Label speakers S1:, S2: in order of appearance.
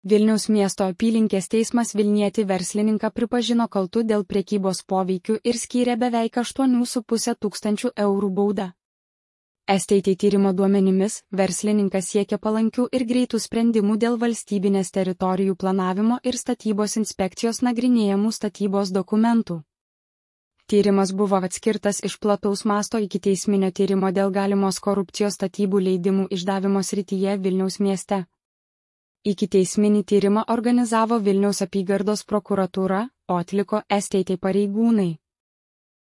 S1: Vilniaus miesto apylinkės teismas Vilnietį verslininką pripažino kaltu dėl prekybos poveikiu ir skyrė beveik 8,5 tūkstančių eurų baudą. STT tyrimo duomenimis, verslininkas siekia palankių ir greitų sprendimų dėl valstybinės teritorijų planavimo ir statybos inspekcijos nagrinėjamų statybos dokumentų. Tyrimas buvo atskirtas iš plataus masto ikiteisminio tyrimo dėl galimos korupcijos statybų leidimų išdavimo srityje Vilniaus mieste. Ikiteisminį tyrimą organizavo Vilniaus apygardos prokuratūra, o atliko STT pareigūnai.